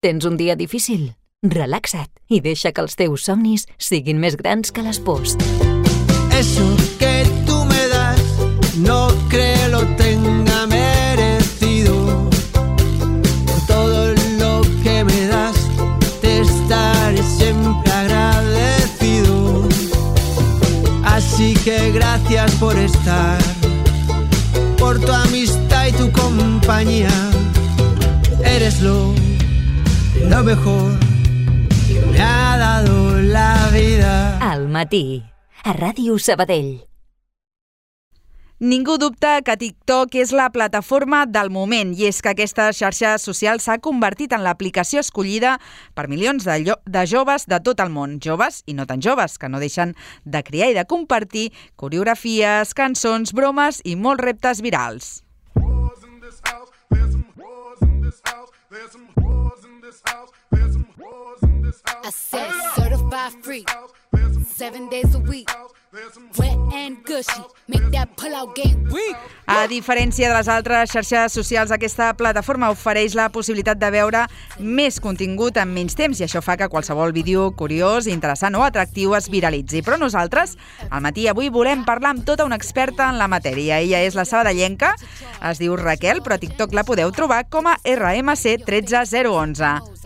Tens un dia difícil? Relaxa't i deixa que els teus somnis siguin més grans que les pors. Eso que tú me das, no creo lo tenga merecido. Por todo lo que me das, te estaré siempre agradecido. Así que gracias por estar, por tu amistad y tu compañía. Eres lo mejor que me ha dado la vida. Al matí, a Ràdio Sabadell. Ningú dubta que TikTok és la plataforma del moment i és que aquesta xarxa social s'ha convertit en l'aplicació escollida per milions de joves de tot el món. Joves i no tan joves, que no deixen de crear i de compartir coreografies, cançons, bromes i molts reptes virals. I said certified free, 7 days a week, wet and gushy, make that pull-out game weak. A diferència de les altres xarxes socials, aquesta plataforma ofereix la possibilitat de veure més contingut en menys temps i això fa que qualsevol vídeo curiós, interessant o atractiu es viralitzi. Però nosaltres, al matí avui, volem parlar amb tota una experta en la matèria. Ella és la sabadellenca, es diu Raquel, però a TikTok la podeu trobar com a RMC13011.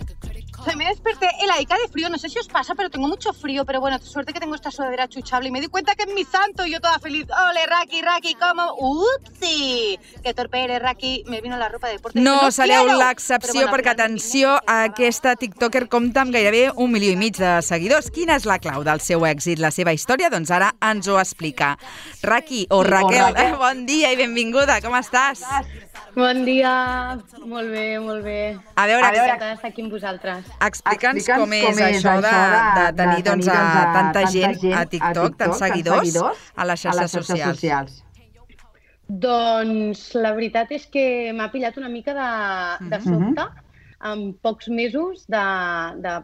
Me desperté heladica de frío, no sé si os pasa, pero tengo mucho frío, pero bueno, suerte que tengo esta sudadera chuchable y me di cuenta que es mi santo y yo toda feliz. ¡Ole, Raki, cómo! ¡Upsi! Que torpe eres, Raki, me vino la ropa de deporte. No sereu l'excepció perquè, atenció, aquesta tiktoker compta amb gairebé 1,5 milió de seguidors. Quina és la clau del seu èxit, la seva història? Doncs ara ens ho explica. Raki, o Raquel, bon dia i benvinguda, com estàs? Bon dia, molt bé, molt bé. A veure, encantada d'estar aquí amb vosaltres. Explica'ns com és això de tenir tanta gent a TikTok, tants seguidors a les xarxes socials. Doncs la veritat és que m'ha pillat una mica de sobte, en pocs mesos de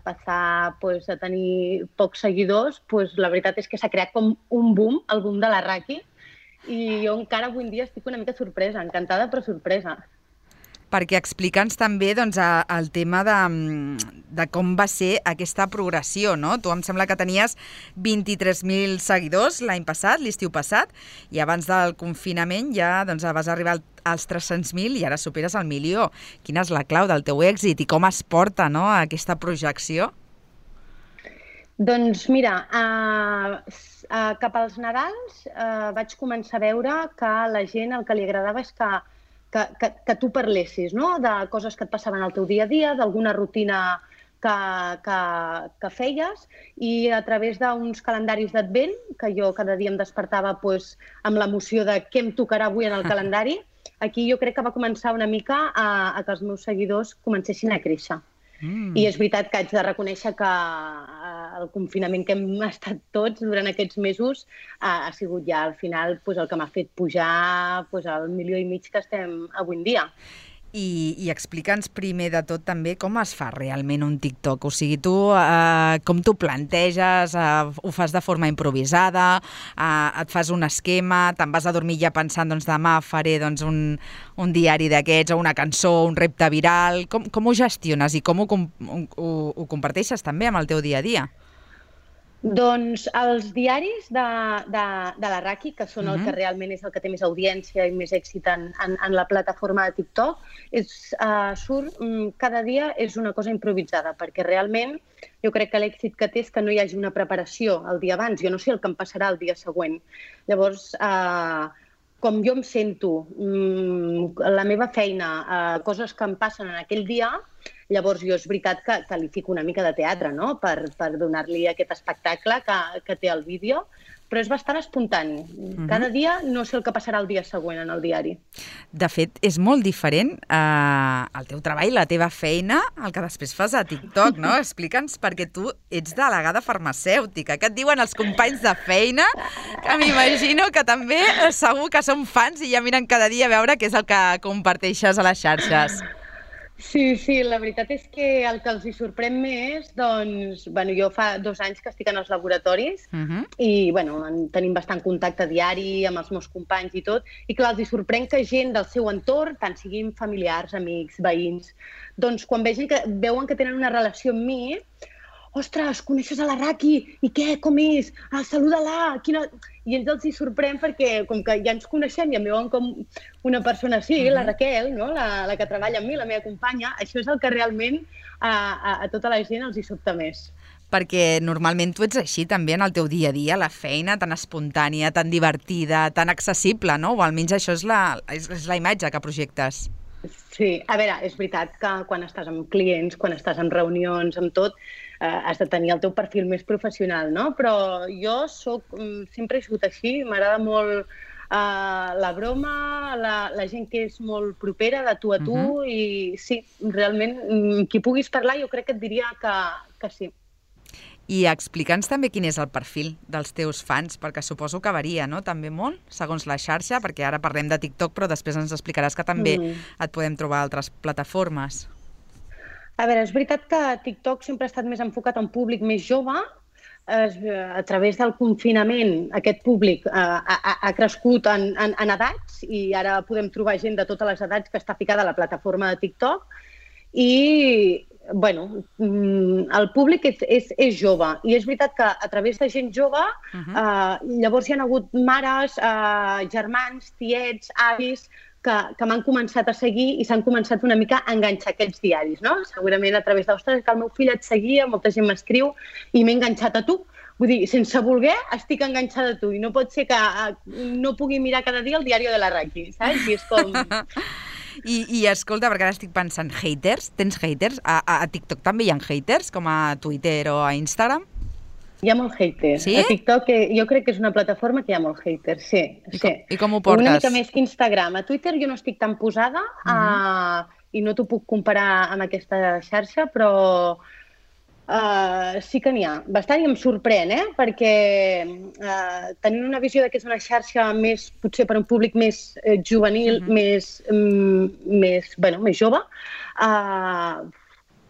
passar a tenir pocs seguidors. La veritat és que s'ha creat com un boom, el boom de la Raki, i jo encara avui en dia estic una mica sorpresa, encantada però sorpresa. Perquè explica'ns també el tema de com va ser aquesta progressió, no? Tu em sembla que tenies 23.000 seguidors l'any passat, l'estiu passat, i abans del confinament ja vas arribar als 300.000 i ara superes el milió. Quina és la clau del teu èxit i com es porta, no, aquesta projecció? Doncs mira, cap als Nadals vaig començar a veure que a la gent el que li agradava és que tu parlessis, no?, de coses que et passaven al teu dia a dia, d'alguna rutina que feies, i a través d'uns calendaris d'advent, que jo cada dia em despertava amb l'emoció de què em tocarà avui en el calendari, aquí jo crec que va començar una mica a que els meus seguidors comencessin a créixer. I és veritat que haig de reconèixer que el confinament que hem estat tots durant aquests mesos ha sigut ja al final el que m'ha fet pujar al 1,5 milió que estem avui en dia. I explica'ns primer de tot també com es fa realment un TikTok. O sigui, tu com t'ho planteges, ho fas de forma improvisada, et fas un esquema, te'n vas a dormir ja pensant demà faré un diari d'aquests o una cançó, un repte viral. Com ho gestiones i com ho comparteixes també amb el teu dia a dia? Doncs els diaris de la Raki, que són el que realment és el que té més audiència i més èxit en la plataforma de TikTok, surt cada dia, és una cosa improvisada, perquè realment jo crec que l'èxit que té és que no hi hagi una preparació el dia abans. Jo no sé el que em passarà el dia següent. Llavors, com jo em sento, la meva feina, coses que em passen en aquell dia, llavors jo és veritat que li fico una mica de teatre, no?, per donar-li aquest espectacle que té el vídeo, però és bastant espontani. Cada dia no sé el que passarà el dia següent en el diari. De fet, és molt diferent el teu treball, la teva feina, el que després fas a TikTok, no? Explica'ns, perquè tu ets delegada farmacèutica. Què et diuen els companys de feina? Que m'imagino que també segur que són fans i ja miren cada dia a veure què és el que comparteixes a les xarxes. Sí, la veritat és que el que els hi sorprèn més, doncs, jo fa 2 anys que estic en els laboratoris i, tenim bastant contacte diari amb els meus companys i tot, i clar, els hi sorprèn que gent del seu entorn, tant siguin familiars, amics, veïns, doncs quan veuen que tenen una relació amb mi, ostres, coneixes a la Raki? I què? Com és? Saluda-la! I ells els hi sorprèn perquè, com que ja ens coneixem i em veuen com una persona així, la Raquel, no? la que treballa amb mi, la meva companya, això és el que realment a tota la gent els hi sobta més. Perquè normalment tu ets així també en el teu dia a dia, la feina tan espontània, tan divertida, tan accessible, no? O almenys això és la imatge que projectes. Sí, a veure, és veritat que quan estàs amb clients, quan estàs en reunions, amb tot, has de tenir el teu perfil més professional, no? Però jo sempre he sigut així, m'agrada molt la broma, la gent que és molt propera de tu a tu i sí, realment, qui puguis parlar jo crec que et diria que sí. I explica'ns també quin és el perfil dels teus fans, perquè suposo que varia, no?, també molt, segons la xarxa, perquè ara parlem de TikTok, però després ens explicaràs que també et podem trobar a altres plataformes. A veure, és veritat que TikTok sempre ha estat més enfocat a un públic més jove. A través del confinament, aquest públic ha crescut en edats i ara podem trobar gent de totes les edats que està ficada a la plataforma de TikTok i el públic és jove i és veritat que a través de gent jove llavors hi ha hagut mares, germans, tiets, avis que m'han començat a seguir i s'han començat una mica a enganxar aquests diaris, no? Segurament a través d'ostres, que el meu fill et seguia, molta gent m'escriu i m'he enganxat a tu. Vull dir, sense voler estic enganxada a tu i no pot ser que no pugui mirar cada dia el diari de la Raki, saps? I és com... I escolta, perquè ara estic pensant, haters? Tens haters? A TikTok també hi ha haters, com a Twitter o a Instagram? Hi ha molt haters. Sí? A TikTok jo crec que és una plataforma que hi ha molt haters, sí. I com ho portes? Una mica més que Instagram. A Twitter jo no estic tan posada i no t'ho puc comparar amb aquesta xarxa, però sí que n'hi ha. Bastant i em sorprèn, perquè tenint una visió que és una xarxa més, potser per un públic més juvenil, més jove,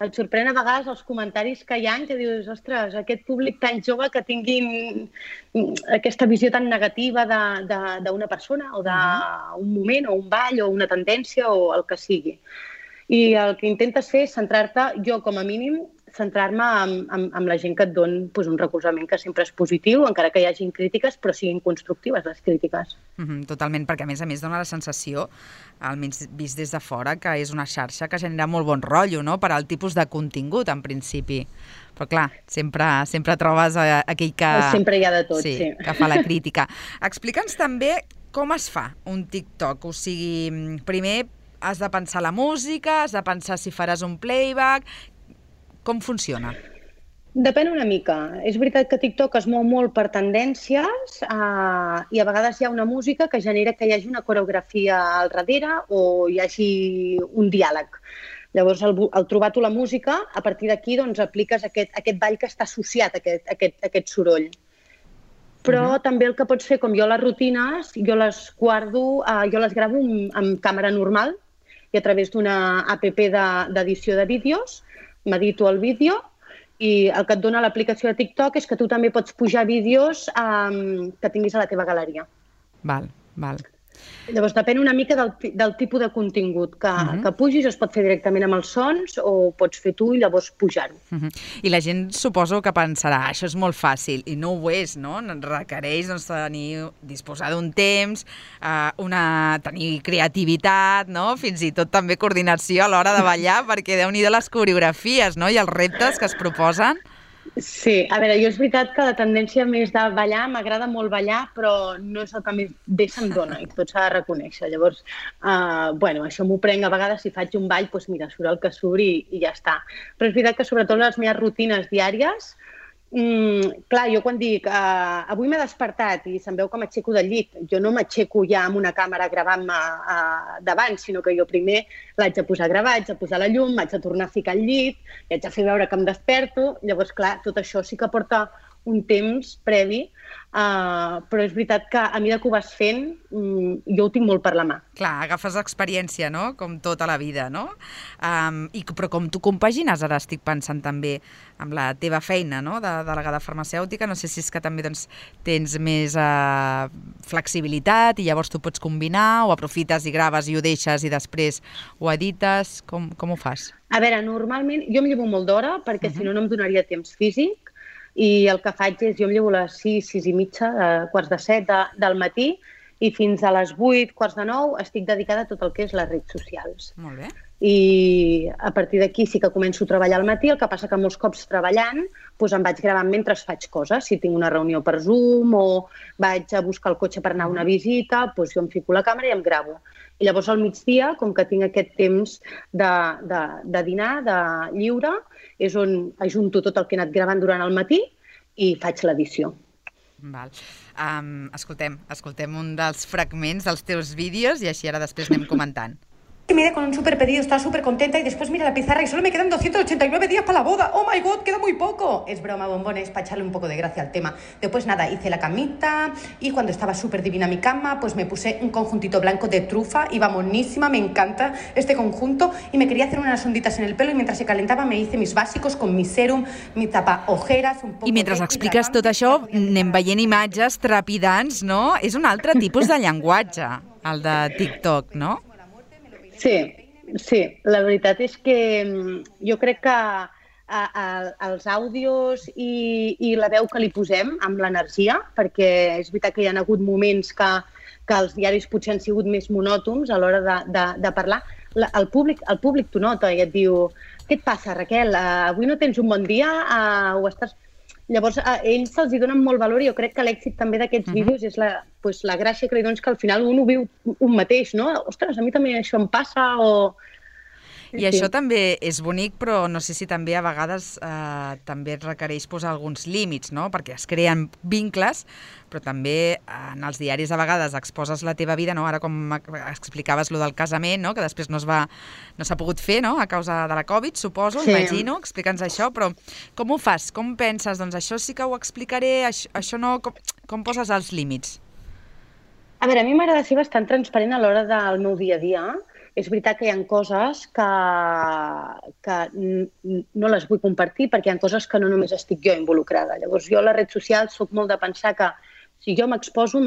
et sorprèn a vegades els comentaris que hi ha que dius, ostres, aquest públic tan jove que tinguin aquesta visió tan negativa d'una persona o d'un moment o un ball o una tendència o el que sigui. I el que intentes fer és centrar-te, jo com a mínim, centrar-me amb la gent que et don un recolzament que sempre és positiu, encara que hi hagin crítiques, però siguin constructives les crítiques. Totalment, perquè a més dona la sensació, almenys vist des de fora, que és una xarxa que genera molt bon rotllo, no?, per al tipus de contingut, en principi. Però clar, sempre trobes aquell que... Sempre hi ha de tot, sí. Que fa la crítica. Explica'ns també com es fa un TikTok, o sigui, primer has de pensar la música, has de pensar si faràs un playback... Com funciona? Depèn una mica. És veritat que TikTok es mou molt per tendències i a vegades hi ha una música que genera que hi hagi una coreografia al darrere o hi hagi un diàleg. Llavors, al trobar tu la música, a partir d'aquí apliques aquest ball que està associat a aquest soroll. Però també el que pots fer, com jo les rutines, jo les guardo, jo les gravo amb càmera normal i a través d'una app d'edició de vídeos m'edito el vídeo i el que et dona l'aplicació de TikTok és que tu també pots pujar vídeos que tinguis a la teva galeria. Val. Llavors, depèn una mica del tipus de contingut que pugis, es pot fer directament amb els sons o pots fer tu i llavors pujar-ho. I la gent suposo que pensarà, això és molt fàcil, i no ho és, no? Requereix disposar d'un temps, tenir creativitat, no? Fins i tot també coordinació a l'hora de ballar, perquè Déu-n'hi-do les coreografies, no?, i els reptes que es proposen. Sí, a veure, jo és veritat que la tendència més de ballar, m'agrada molt ballar, però no és el que més bé se'm dona i tot s'ha de reconèixer. Llavors, això m'ho prenc a vegades, si faig un ball, doncs mira, surt el que surt i ja està. Però és veritat que sobretot les meves rutines diàries, clar, jo quan dic avui m'he despertat i se'm veu que m'aixeco del llit, jo no m'aixeco ja amb una càmera gravant-me davant, sinó que jo primer l'haig de posar a gravar, haig de posar la llum, m'haig de tornar a ficar al llit, i haig de fer veure que em desperto. Llavors, clar, tot això sí que porta un temps previ, però és veritat que a mesura que ho vas fent, jo ho tinc molt per la mà. Clar, agafes experiència, no?, com tota la vida, no? Però com tu compagines, ara estic pensant també, amb la teva feina, no?, de delegada farmacèutica, no sé si és que també doncs, tens més flexibilitat i llavors tu pots combinar, o aprofites i graves i ho deixes i després ho edites, com ho fas? A veure, normalment jo em llevo molt d'hora perquè si no em donaria temps físic, i el que faig és, jo em llevo a les 6, 6 i mitja, quarts de 7 del matí, i fins a les 8, quarts de 9, estic dedicada a tot el que és les redes socials. Molt bé. I a partir d'aquí sí que començo a treballar al matí, el que passa que molts cops treballant doncs em vaig gravant mentre faig coses. Si tinc una reunió per Zoom o vaig a buscar el cotxe per anar a una visita, doncs jo em fico la càmera i em gravo. I llavors al migdia, com que tinc aquest temps de dinar, de lliure, és on ajunto tot el que he anat gravant durant el matí i faig l'edició. Val. Escoltem un dels fragments dels teus vídeos i així ara després anem comentant. Que me quedé con un súper pedido, estaba súper contenta y después mira la pizarra y solo me quedan 289 días para la boda. ¡Oh, my God! ¡Queda muy poco! Es broma, bombones, para echarle un poco de gracia al tema. Después nada, hice la camita y cuando estaba súper divina mi cama, pues me puse un conjuntito blanco de trufa. Iba monísima, me encanta este conjunto y me quería hacer unas onditas en el pelo y mientras se calentaba me hice mis básicos con mi serum, mi tapa ojeras, un poco... I mentre expliques tot això, anem veient imatges trepidants, no? És un altre tipus de llenguatge, el de TikTok, no? Sí, la veritat és que jo crec que els àudios i la veu que li posem amb l'energia, perquè és veritat que hi ha hagut moments que els diaris potser han sigut més monòtons a l'hora de parlar, el públic t'ho nota i et diu què et passa, Raquel? Avui no tens un bon dia? O estàs... Llavors, a ells se'ls donen molt valor i jo crec que l'èxit també d'aquests vídeos és la gràcia que li dones que al final un ho viu un mateix, no? Ostres, a mi també això em passa o... I això també és bonic, però no sé si també a vegades també et requereix posar alguns límits, no? Perquè es creen vincles, però també en els diaris a vegades exposes la teva vida, no? Ara com explicaves lo del casament, no? Que després no s'ha pogut fer, no? A causa de la Covid, suposo, imagino, explica'ns això, però com ho fas? Com penses? Doncs això sí que ho explicaré, això no... Com poses els límits? A veure, a mi m'agrada ser bastant transparent a l'hora del meu dia a dia. És veritat que hi ha coses que no les vull compartir perquè hi ha coses que no només estic jo involucrada. Llavors, jo a les redes socials soc molt de pensar que si jo m'exposo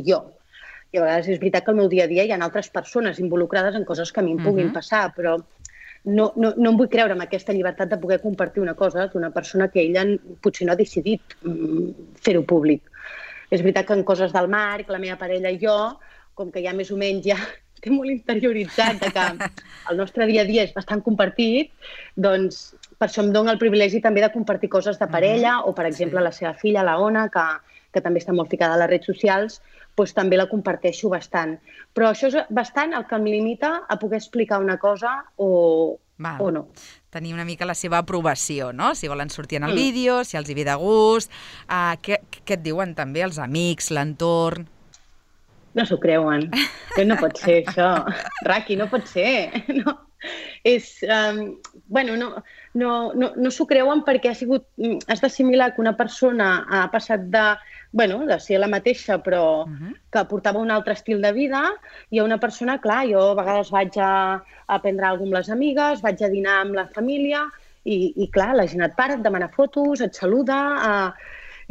jo. I a vegades és veritat que al meu dia a dia hi ha altres persones involucrades en coses que a mi em puguin passar, però no em vull creure amb aquesta llibertat de poder compartir una cosa d'una persona que ella potser no ha decidit fer-ho públic. És veritat que en coses del Marc, la meva parella i jo, com que ja més o menys ja té molt interioritzat que el nostre dia a dia és bastant compartit, doncs per això em dona el privilegi també de compartir coses de parella o, per exemple, la seva filla, la Ona, que també està molt ficada a les redes socials, doncs també la comparteixo bastant. Però això és bastant el que em limita a poder explicar una cosa o no. Tenir una mica la seva aprovació, no? Si volen sortir en el vídeo, si els hi ve de gust... Què et diuen també els amics, l'entorn? No s'ho creuen. No pot ser, això. Raqui, no pot ser. No. No s'ho creuen perquè has d'assimilar que una persona ha passat de ser la mateixa però que portava un altre estil de vida i a una persona, clar, jo a vegades vaig a prendre alguna amb les amigues, vaig a dinar amb la família i clar, la gent et para, et demana fotos, et saluda...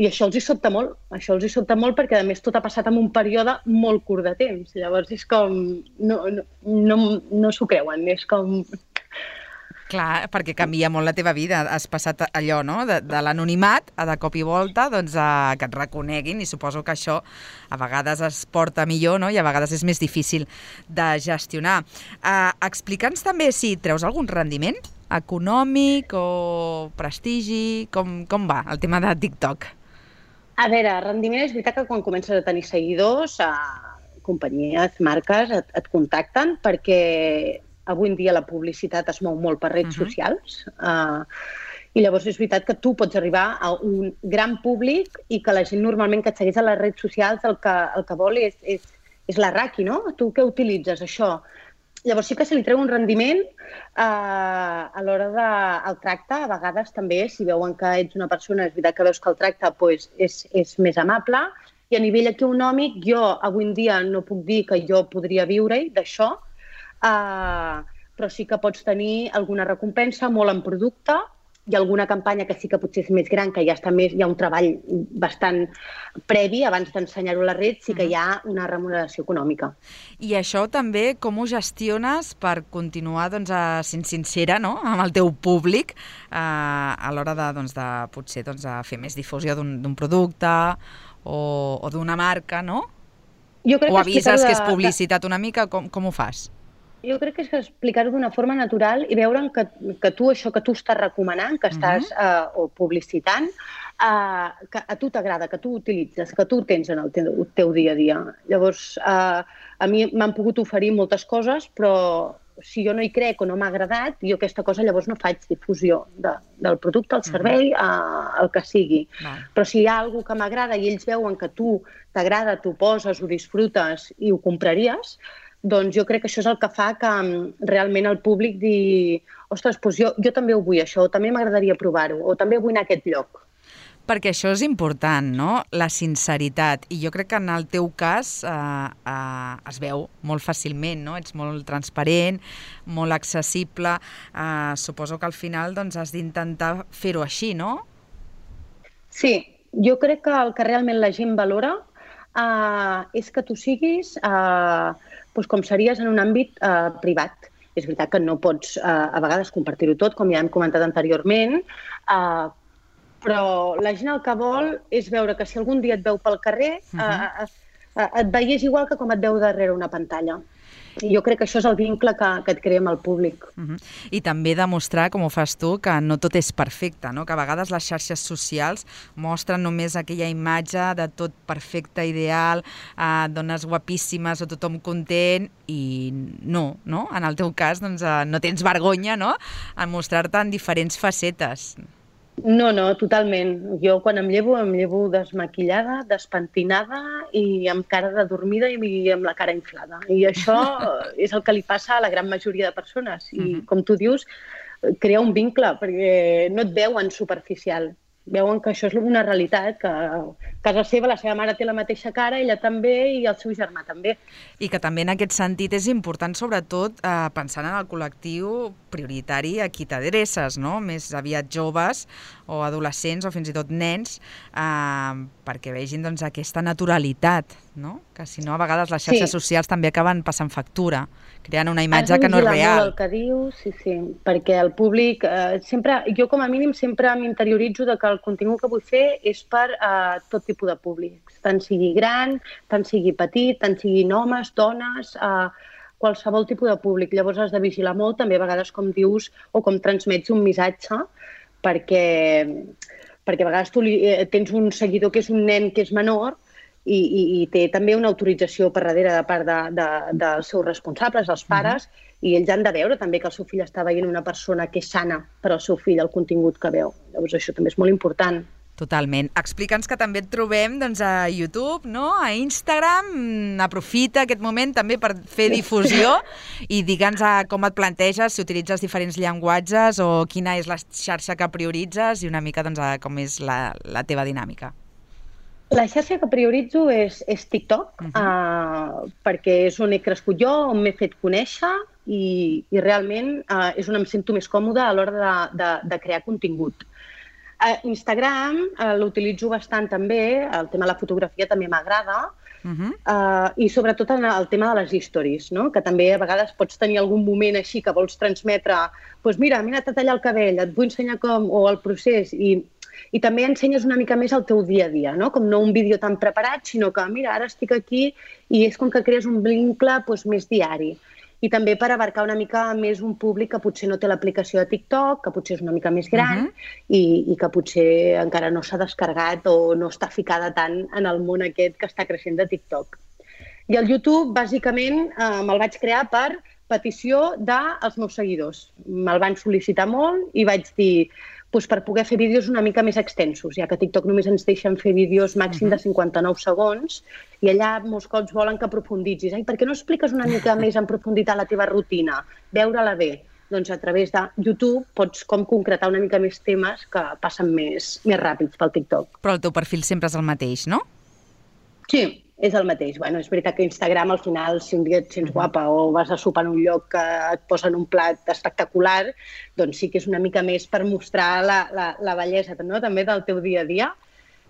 I això els hi sobta molt, perquè a més tot ha passat en un període molt curt de temps. Llavors és com... No s'ho creuen, és com... Clar, perquè canvia molt la teva vida. Has passat allò, no?, de l'anonimat a de cop i volta doncs, que et reconeguin i suposo que això a vegades es porta millor, no?, i a vegades és més difícil de gestionar. Explica'ns també si treus algun rendiment econòmic o prestigi, com va el tema de TikTok? A veure, rendiment és veritat que quan comences a tenir seguidors, companyies, marques et contacten perquè avui en dia la publicitat es mou molt per redes socials i llavors és veritat que tu pots arribar a un gran públic i que la gent normalment que et segueix a les redes socials el que vol és la Raqui, no? Tu què utilitzes, això? Llavors sí que se li treu un rendiment a l'hora del tracte. A vegades també, si veuen que ets una persona, és veritat que veus que el tracte doncs, és més amable. I a nivell econòmic, jo avui en dia no puc dir que jo podria viure-hi d'això, però sí que pots tenir alguna recompensa molt en producte i alguna campanya que sí que potser és més gran, que ja està més, hi ha un treball bastant previ abans d'ensenyar-ho a la red, sí que hi ha una remuneració econòmica. I això també com ho gestiones per continuar sent sincera, no?, amb el teu públic a l'hora de potser fer més difusió d'un producte o d'una marca, no? O avises que és publicitat una mica, com ho fas? Jo crec que és explicar-ho d'una forma natural i veure que tu, això que tu estàs recomanant, que estàs o publicitant, que a tu t'agrada, que tu utilitzes, que tu tens en el teu dia a dia. Llavors, a mi m'han pogut oferir moltes coses, però si jo no hi crec o no m'ha agradat, jo aquesta cosa llavors no faig difusió del producte, el servei, el que sigui. Però si hi ha alguna cosa que m'agrada i ells veuen que tu t'agrada, t'ho poses, ho disfrutes i ho compraries, doncs jo crec que això és el que fa que realment el públic digui ostres, doncs jo també ho vull això, o també m'agradaria provar-ho, o també vull anar a aquest lloc. Perquè això és important, no?, la sinceritat. I jo crec que en el teu cas es veu molt fàcilment, no? Ets molt transparent, molt accessible. Suposo que al final has d'intentar fer-ho així, no? Sí, jo crec que el que realment la gent valora és que tu siguis com series en un àmbit privat. És veritat que no pots a vegades compartir-ho tot, com ja hem comentat anteriorment, però la gent el que vol és veure que si algun dia et veu pel carrer et veiés igual que com et veu darrere una pantalla. I jo crec que això és el vincle que et crea amb el públic. I també demostrar, com ho fas tu, que no tot és perfecte, no? Que a vegades les xarxes socials mostren només aquella imatge de tot perfecte, ideal, dones guapíssimes o tothom content, i no? En el teu cas no tens vergonya, no?, en mostrar-te en diferents facetes. No, totalment. Jo quan em llevo desmaquillada, despentinada i amb cara de dormida i amb la cara inflada. I això és el que li passa a la gran majoria de persones. I com tu dius, crea un vincle, perquè no et veuen superficial. Veuen que això és una realitat, que a casa seva la seva mare té la mateixa cara, ella també i el seu germà també. I que també en aquest sentit és important, sobretot, pensant en el col·lectiu prioritari a qui t'adreces, no? Més aviat joves o adolescents o fins i tot nens, perquè vegin aquesta naturalitat, no? Que si no, a vegades les xarxes socials també acaben passant factura, creant una imatge que no és real. El que dius, sí, perquè el públic, jo com a mínim sempre m'interioritzo de que el contingut que vull fer és per tot tipus de públics, tant sigui gran, tant sigui petit, tant siguin homes, dones, qualsevol tipus de públic. Llavors has de vigilar molt també a vegades com dius o com transmets un missatge, perquè a vegades tu tens un seguidor que és un nen que és menor i té també una autorització per darrere de part dels seus responsables, els pares, i ells han de veure també que el seu fill està veient una persona que és sana per al seu fill, el contingut que veu. Llavors això també és molt important. Totalment. Explica'ns que també et trobem a YouTube, no?, a Instagram. Aprofita aquest moment també per fer difusió i digue'ns com et planteges, si utilitzes diferents llenguatges o quina és la xarxa que prioritzes i una mica com és la teva dinàmica. La xarxa que prioritzo és TikTok, perquè és on he crescut jo, on m'he fet conèixer i realment és on em sento més còmoda a l'hora de crear contingut. Instagram l'utilitzo bastant també, el tema de la fotografia també m'agrada, i sobretot en el tema de les stories, que també a vegades pots tenir algun moment així que vols transmetre, doncs mira, m'he anat a tallar el cabell, et vull ensenyar com, o el procés, i també ensenyes una mica més el teu dia a dia, com no un vídeo tan preparat, sinó que mira, ara estic aquí i és com que crees un vincle més diari. I també per abarcar una mica més un públic que potser no té l'aplicació de TikTok, que potser és una mica més gran i que potser encara no s'ha descarregat o no està ficada tant en el món aquest que està creixent de TikTok. I el YouTube, bàsicament, me'l vaig crear per petició dels meus seguidors. Me'l van sol·licitar molt i vaig dir, doncs per poder fer vídeos una mica més extensos, ja que a TikTok només ens deixen fer vídeos màxim de 59 segons i allà molts cops volen que aprofunditzis. Ai, per què no expliques una mica més en profunditat la teva rutina? Veure-la bé. Doncs a través de YouTube pots com concretar una mica més temes que passen més ràpids pel TikTok. Però el teu perfil sempre és el mateix, no? Sí, és el mateix. Bueno, és veritat que Instagram al final, si un dia et sents guapa o vas a sopar en un lloc que et posen un plat espectacular, doncs sí que és una mica més per mostrar la bellesa, no? També del teu dia a dia.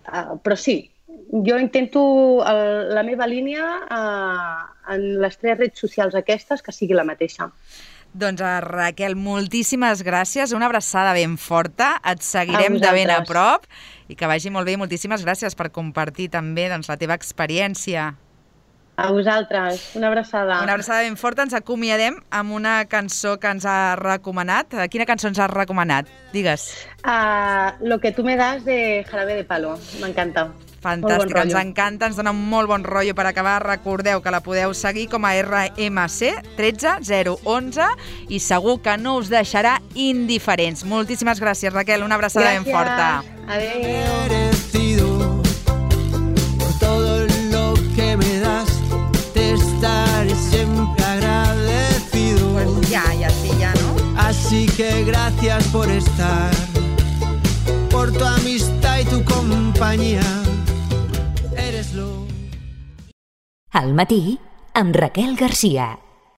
Però sí, jo intento la meva línia en les 3 redes socials aquestes que sigui la mateixa. Doncs Raquel, moltíssimes gràcies, una abraçada ben forta, et seguirem de ben a prop i que vagi molt bé. Moltíssimes gràcies per compartir també la teva experiència. A vosaltres, una abraçada. Una abraçada ben forta, ens acomiadem amb una cançó que ens ha recomanat. Quina cançó ens has recomanat? Digues. Lo que tú me das de Jarabe de Palo, m'encanta. Fantàstic, ens encanta, ens dona un molt bon rotllo per acabar. Recordeu que la podeu seguir com a RMC 13011 i segur que no us deixarà indiferents. Moltíssimes gràcies, Raquel, una abraçada ben forta. Adéu. Por todo lo que me das, te estaré siempre agradecido. Pues ya, ¿no? Así que gracias por estar, por tu amistad y tu compañía. Eres lo... Al matí, amb Raquel Garcia.